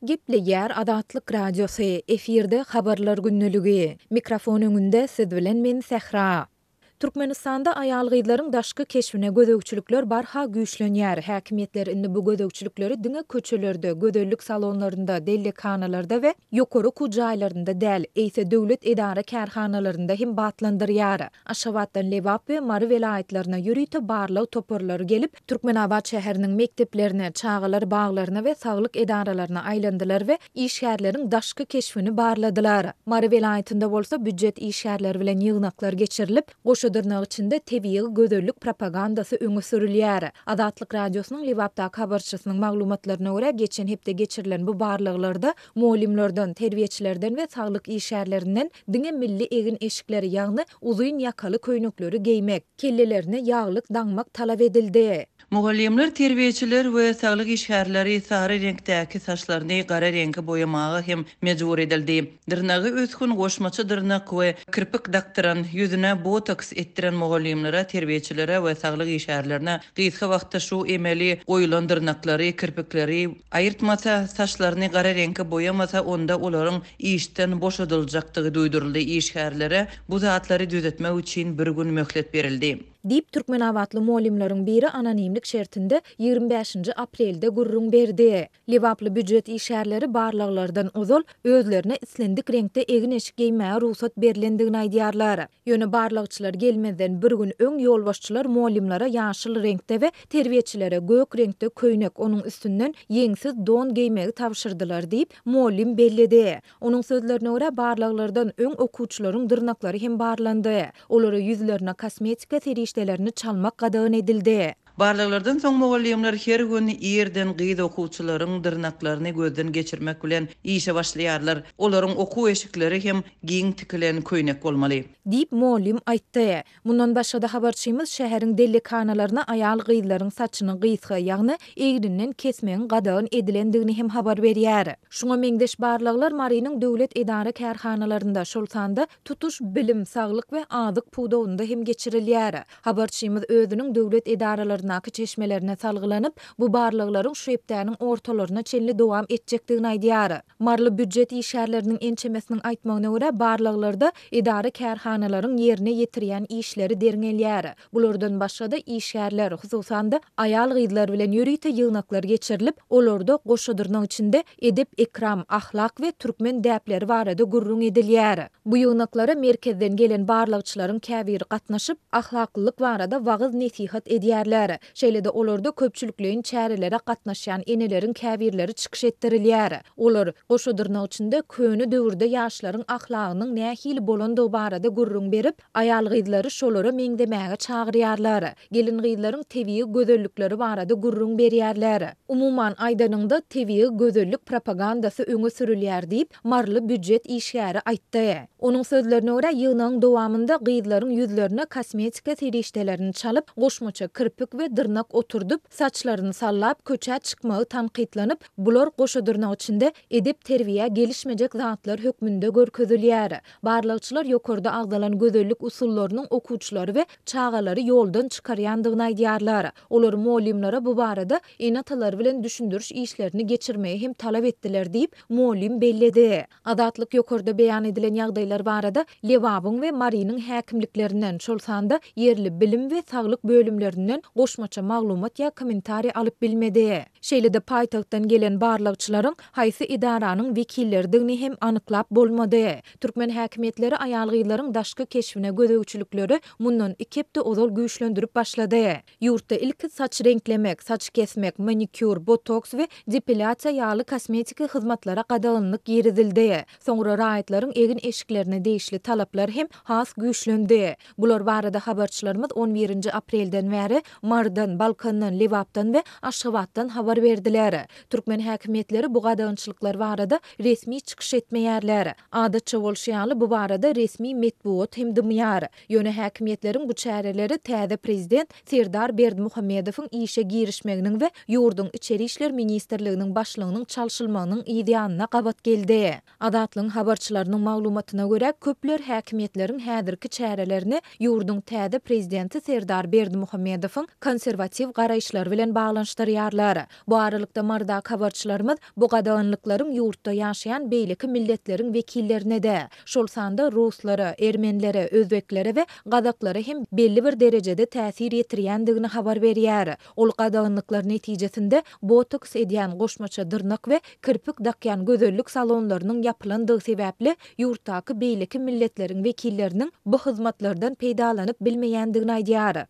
Gepleýär Azatlyk Radiosy, efirde Habarlar gündeligi. Mikrofon öňünde siz bilen men Sähra. Türkmenistanda aýal-gyzlaryň daşky keşbine gözegçilikler barha güýçlenýär. Häkimiýetler indi bu gözegçilikleri diňe köçelerde, gözellik salonlarynda, dellekhanalarda we ýokary okuw jaýlarynda däl, eýse döwlet edara-kärhanalarynda hem batlandyrýar. Aşgabatdan Lebap we Mary welaýatlaryna ýörite barlag toparlary gelip, Türkmenabat şäheriniň mekdeplerine, çagalar baglaryna we saglyk edaralaryna aýlandylar we işgärleriň daşky keşbini barladylar. Mary welaýatynda bolsa býujet işgärleri bilen ýygnaklar geçirilip, goşa dyrnak içinde tebigy gözellik propagandasy öňe sürülýär. Azatlyk Radiosynyň Lebapdaky habarçysynyň maglumatlaryna görä, geçen hepde geçirilen bu barlaglarda mugallymlardan, terbiýeçilerden we saglyk işgärlerinden diňe milli egin-eşikleri, ýagny uzyn ýakaly köýnekleri geýmek, kellelerine ýaglyk daňmak talap edildi. Mugallymlar, terbiýeçiler we saglyk işgärleri sary reňkdäki saçlaryny gara reňke boýamaga hem mejbur edildi. Dyrnagy ösgün goşmaça dyrnak we kirpik dakdyran, ýüzüne botoks etdiren mugallymlara, terbiýeçilere we saglyk işgärlerine gysga wagtda şu emeli goýulan dyrnaklary, kirpikleri aýyrtmasa, saçlaryny gara reňke boýamasa, onda olaryň işden boşadyljakdygy duýduryldy. Işgärlere bu zatlary düzetmek üçin bir gün möhlet berildi. Diýip, türkmenabatly mugallymlaryň biri anonimlik şertinde 25-nji aprelde gürrüň berdi. Lebaply býujet işgärleri barlaglardan ozal özlerine islendik reňkde egin-eşik geýmäge rugsat berlendigini aýdýarlar. Ýöne barlagçylar gelmezden bir gün öň ýolbaşçylar mugallymlara ýaşyl reňkde we terbiýeçilere gök reňkde köýnek, onuň üstünden ýeňsiz don geýmegi tabşyrdylar diýip, mugallym belledi. Onuň sözlerine görä, barlaglardan öň okuwçylaryň dyrnaklary hem barlandy. Olara ýüzlerine kosmetika serişdelerini çalmak gadagan edildi. Barlaglardan soň mugallymlar her gün irden gyz okuwçylaryň dyrnaklaryny gözden geçirmek bilen işe başlaýarlar. Olaryň okuw eşikleri hem giň tikilen köýnek bolmaly. Diýip, mugallym aýtdy. Mundan başga-da habarçymyz şäheriň dellekhanalaryna aýal-gyzlaryň saçyny gysga, ýagny egrinden kesmegiň gadagan edilendigini hem habar berýär. Şuňa meňzeş barlaglar Marynyň döwlet edara-kärhanalarynda, şol sanda tutuş bilim, saglyk we azyk pudagynda hem geçirilýär. Habarçymyz özüniň döwlet edaralaryndaky çeşmelerine salgylanyp, bu barlaglaryň şu hepdäniň ortalaryna çenli dowam etjekdigini aýdýar. Maryly býujet işgärleriniň ençemesiniň aýtmagyna görä, barlaglarda edara-kärhanalaryň ýerine ýetirýän işleri derňelýär. Bulardan başga-da, işgärler, hususan-da, aýal-gyzlar bilen ýörite ýygnaklar geçirilip, olarda goşa dyrnak içinde edep-ekram, ahlak we türkmen däpleri barada gürrüň edilýär. Bu ýygnaklara merkezden gelen barlagçylaryň käbiri gatnaşyp, ahlaklylyk barada wagyz-nesihat edýärler. Şeýle-de olarda köpçülikleýin çärelere gatnaşýan eneleriň käbirleri çykyş etdirilýär. Olar, goşa dyrnak içinde, köne döwürde ýaşlaryň ahlagynyň nähili bolandygy barada gürrüň berip, aýal-gyzlary şolara meňzemäge çagyrýarlar. Gelin-gyzlaryň tebigy gözellikleri barada gürrüň berýärler. Umuman aýdanyňda, tebigy gözellik propagandasy öňe sürülýär diýip, maryly býujet işgäri aýtdy. Onuň sözlerine görä, ýygnagyň dowamynda gyzlaryň ýüzlerine kosmetika serişdelerini çalyp, goşmaça kirpik we dyrnak oturdyp, saçlaryny sallap, köçä çykmagy tankytlanyp, bular goşa dyrnak içinde edep-terbiýä gelişmejek zatlar hökmünde görkezilýär. Barlagçylar ýokarda agzalan gözellik usullarynyň okuwçylary we çagalary ýoldan çykarýandygyny aýdýarlar. Olar mugallymlara bu barada ene-atalary bilen düşündiriş işlerini geçirmegi hem talap etdiler diýip, mugallym belledi. Azatlyk ýokarda beýan edilen ýagdaýlar barada Lebabyň we Marynyň häkimliklerinden, şol sanda ýerli bilim we saglyk bölümlerinden goşmaça maglumat ýa kommentariý alyp bilmedi. Şeýle-de paýtagtdan gelen barlagçylaryň haýsy edaranyň wekilleridigini hem anyklap bolmady. Türkmen häkimiýetleri aýal-gyzlaryň daşky keşbine gözegçilikleri mundan iki hepde ozal güýçlendirip başlady. Ýurtda ilki saç reňklemek, saç kesmek, manikýur, botoks we depilýasiýa ýaly kosmetiki hyzmatlara gadaganlyk girizildi. Soňra raýatlaryň egin-eşiklerine degişli talaplar hem has güýçlendi. Bular barada habarçylarymyz on birinji aprelden bäri Marydan, Balkandan, Lebapdan we Aşgabatdan habar berdiler. Türkmen häkimiýetleri bu gadagançylyklar barada resmi çykyş etmeýärler. Adatça bolşy ýaly, bu barada resmi metbugat hem dymýar. Ýöne häkimiýetleriň bu çäreleri täze prezident Serdar Berdimuhamedowyň işe girişmeginiň we ýurduň Içeri işler ministrliginiň başlygynyň çalşylmagynyň yzýanyna gabat geldi. Azatlygyň habarçylarynyň maglumatyna görä, köpler häkimiýetleriň häzirki çärelerini ýurduň täze prezidenti Serdar Berdimuhamedowyň. konserwatiw garaýyşlary bilen baglanyşdyrýarlar. Bu aralykda Marydaky habarçylarymyz bu gadaganlyklaryň ýurtda ýaşaýan beýleki milletleriň wekillerine-de, şol sanda ruslara, ermenilere, özbeklere we gazaklara hem belli bir derejede täsir ýetirýändigini habar berýär. Ol gadaganlyklar netijesinde botoks edýän goşmaça dyrnak we kirpik dakýan gözellik salonlarynyň ýapylandygy sebäpli ýurtdaky beýleki milletleriň wekilleriniň bu hyzmatlardan peýdalanyp bilmeýändigini aýdýar.